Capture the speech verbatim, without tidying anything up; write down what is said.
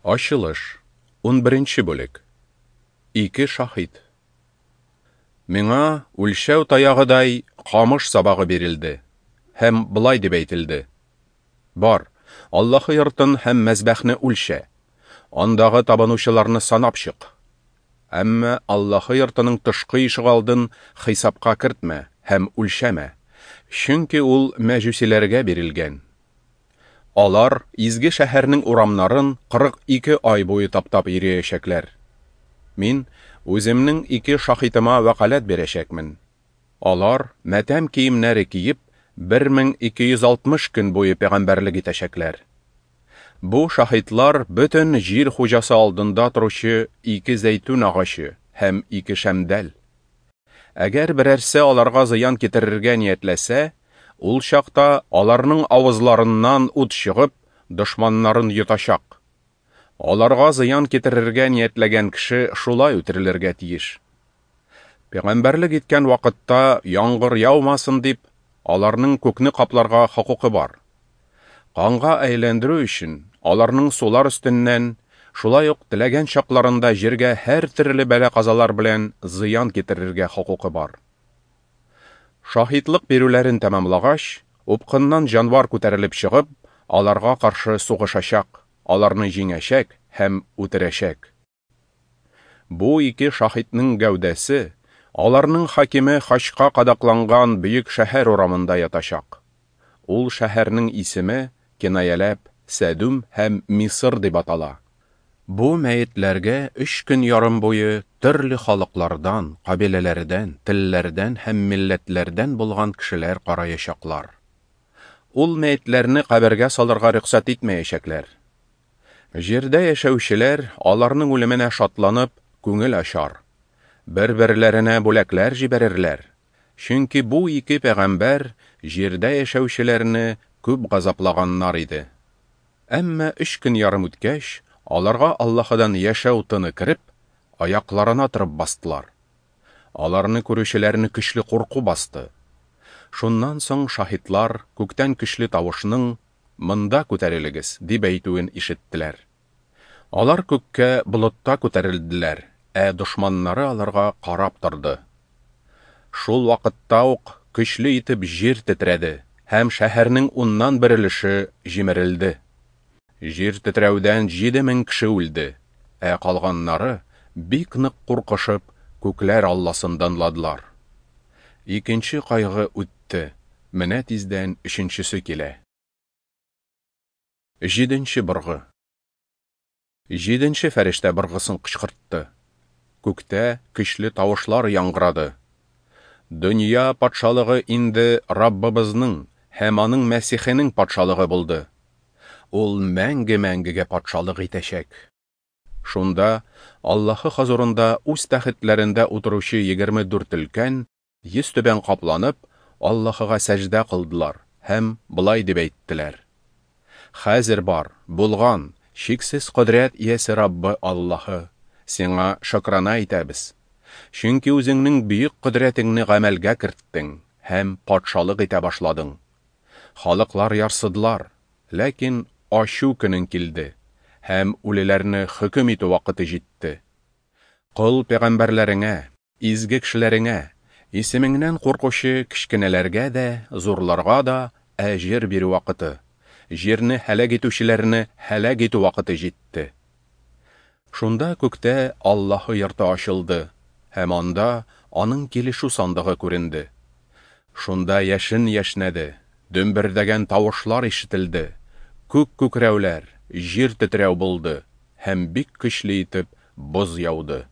Ачылыш, унберенче бүлек. Ике шаһит. Миңа үлчәү таягыдай камыш сабагы бирелде һәм болай дип әйтелде: Бар, Аллаһы йортын һәм мәзбәхне үлчә, андагы табынучыларны санап чык. Әмма Аллаһы йортының тышкы ишегалдын хисапка кертмә һәм үлчәмә, чөнки ул мәҗүсиләргә бирелгән. Алар изге шәһәрнең урамнарын кырык ике ай буе таптап йөриячәкләр. Мин үземнең ике шаһитыма вәкаләт бирәчәкмен. Алар матәм киемнәре киеп, бер мең ике йөз алтмыш көн буе пәйгамбәрлек итәчәкләр. Бу шаһитлар бөтен җир хуҗасы алдында торучы ике зәйтүн агачы һәм ике шәмдәл. Әгәр берәрсе аларга зыян китерергә ниятләсә, ул чакта аларның авызларыннан ут чыгып, дошманнарын йотачак. Аларга зыян китерергә ниятләгән кеше шулай үтерелергә тиеш. Пәйгамбәрлек иткән вакытта яңгыр яумасын дип, аларның күкне капларга хокукы бар. Канга әйләндерү өчен аларның сулар өстеннән, шулай ук теләгән чакларында җиргә һәр төрле бәла-казалар белән зыян китерергә хокукы бар. Шаһитлык бирүләрен тәмамлагач, упкыннан җанвар күтәрелеп чыгып, аларга каршы сугышачак, аларны җиңәчәк һәм үтерәчәк. Бу ике шаһитның гәүдәсе аларның хакиме хачка кадакланган бөек шәһәр урамында ятачак. Ул шәһәрнең исеме кинаяләп Сәдүм һәм Мисыр дип атала. Бу мәетләргә өч көн ярым буе төрле халыклардан, кабиләләрдән, телләрдән һәм милләтләрдән булган кешеләр караячаклар. Ул мәетләрне кабергә салырга рөхсәт итмәячәкләр. Җирдә яшәүчеләр аларның үлеменә шатланып, күңел ачар. Бер-берләренә бүләкләр җибәрерләр. Чөнки бу ике пәйгамбәр җирдә яшәүчеләрне күп газаплаганнар иде. Әмма өч көн ярым үткәч, аларга Аллаһыдан яшәү тыны кереп, аякларына торып бастылар. Аларны күрүчеләрне көчле курку басты. Шуннан соң шаһитлар күктән көчле тавышның «Монда күтәрелегез» дип әйтүен ишеттеләр. Алар күккә болытта күтәрелделәр, ә дошманнары аларга карап торды. Шул вакытта ук көчле итеп җир тетрәде һәм шәһәрнең уннан бер өлеше җимерелде. Җир тетрәүдән җиде мең кеше үлде, ә калганнары бик нык куркышып, күкләр Алласын данладылар. Икенче кайгы үтте, менә тиздән өченчесе килә. Җиденче быргы. Җиденче фәрештә быргысын кычкыртты. Күктә көчле тавышлар яңгырады. Дөнья патшалыгы инде Раббыбызның һәм аның Мәсихенең патшалыгы булды. Ул мәңге-мәңгегә патшалык итәчәк. Шунда Аллаһы хозурында үз тәхетләрендә утыручы егерме дүрт өлкән, йөз түбән капланып, Аллаһыга сәҗдә кылдылар һәм болай дип әйттеләр: Хәзер бар, булган, чиксез кодрәт иясе Раббы Аллаһы, сиңа шөкрана итәбез. Чөнки үзеңнең бөек кодрәтеңне гамәлгә керттең һәм патшалык итә башладың. Халыклар ярсыдылар, ләкин ачу көнең килде һәм үлеләрне хөкем итү вакыты җитте. Кол пәйгамбәрләреңә, изге кешеләреңә, исемеңнән куркучы кечкенәләргә дә, зурларга да әҗер бирү вакыты, җирне һәлак итүчеләрне һәлак итү вакыты җитте. Шунда күктә Аллаһы йорты ачылды, һәм анда аның килешү сандыгы күренде. Шунда яшен яшнәде, дөмбердәгән тавышлар ишетелде, күк күкрәүләр, җир тетрәү булды һәм бик көчле итеп боз яуды.